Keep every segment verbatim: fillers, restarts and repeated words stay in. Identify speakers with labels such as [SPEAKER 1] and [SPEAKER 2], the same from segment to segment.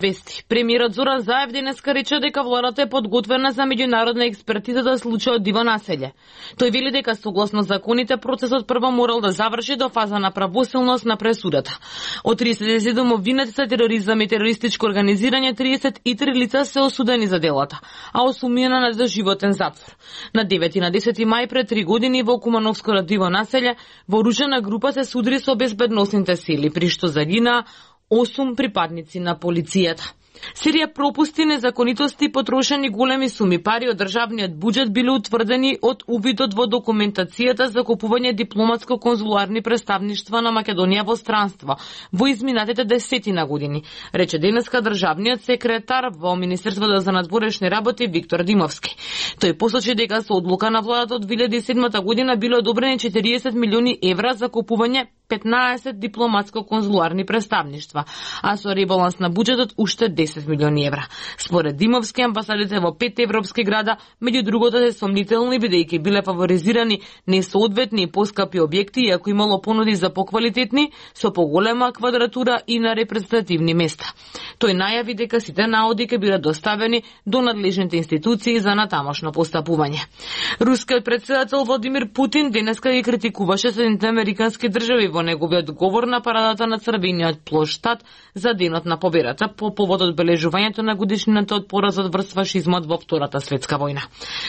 [SPEAKER 1] Вести. Премиерот Зоран Заев денеска рече дека владата е подготвена за меѓународна експертиза за случајот Диво населје. Тој вели дека согласно законите процесот прво морал да заврши до фаза на правосилност на пресудата. Од триесет и седум обвинети за тероризам и терористичко организирање, триесет и три лица се осудени за делата, а осумнена на доживотен затвор. На девети и на десети мај пред три години во Кумановското Диво населје вооружена група се судри со безбедносните сили, при што загинаа осум припадници на полицијата. Серија пропусти, незаконитости и потрошени големи суми пари од државниот буџет биле утврдени од увидот во документацијата за купување дипломатско-конзуларни представништва на Македонија во странство во изминатите десетина години, рече денеска државниот секретар во Министерството за надворешни работи Виктор Димовски. Тој посочи дека со одлука на владата од две илјади и седма година биле одобрени четириесет милиони евра за купување петнаесет дипломатско-конзуларни представништва, а со ребаланс на буџетот уште десет милиони евра. Според Димовски, амбасадите во пет европски града, меѓу другото, се сомнителни бидејќи биле фаворизирани несоодветни и поскапи објекти, иако имало понуди за поквалитетни, со поголема квадратура и на репрезентативни места. Тој најави дека сите наоди ќе бидат доставени до надлежните институции за натамошно постапување. Рускиот председател Владимир Путин денеска ги критикуваше Соединетите американски држави во неговиот говор на парадата на Црвениот плоштад за Денот на победата по повод одбележувањето на годишнината од поразот врз фашизмот во Втората светска војна.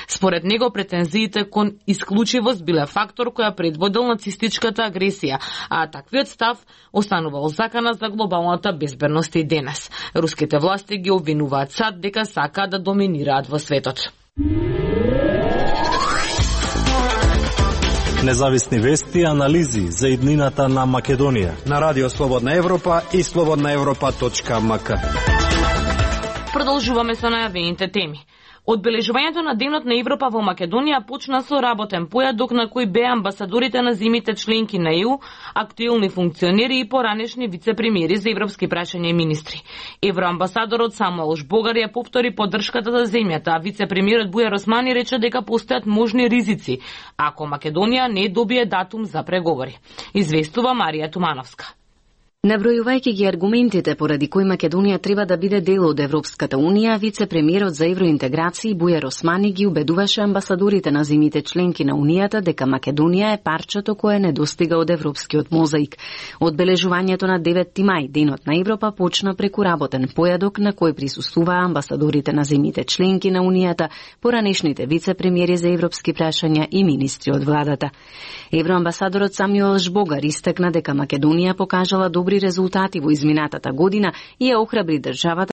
[SPEAKER 1] Според него претензиите кон исклучивост биле фактор која предводел нацистичката агресија, а таквиот став останувал закана за глобалната безбедност и денес. Руските власти ги обвинуваат САД дека сакаат да доминираат во светот.
[SPEAKER 2] Независни вести и анализи за иднината на Македонија
[SPEAKER 3] на Радио Слободна Европа и слободна европа точка ем ка.
[SPEAKER 1] Продолжуваме со најавените теми. Одбележувањето на Денот на Европа во Македонија почна со работен појадок на кој беа амбасадорите на земјите членки на Е У, актуелни функционери и поранешни вице-премиери за европски прашања и министри. Евроамбасадорот Самуел Жбогар ја повтори поддршката за земјата, а вице-премиерот Бујар Османи рече дека постојат можни ризици ако Македонија не добие датум за преговори. Известува Марија Тумановска.
[SPEAKER 4] Набројувајќи ги аргументите поради кои Македонија треба да биде дел од Европската унија, вице-премиерот за евроинтеграција Бујар Османи ги убедуваше амбасадорите на земјите членки на Унијата дека Македонија е парчето кое не достига од европскиот мозаик. Одбележувањето на деветти мај, Денот на Европа, почна преку работен појадок на кој присуствуваа амбасадорите на земјите членки на Унијата, поранешните вице-премиери за европски прашања и министри од владата. Евроамбасадорот Самуел Жбогар истакна дека Македонија покажала добри резултати во изминатата година и ја охрабри државата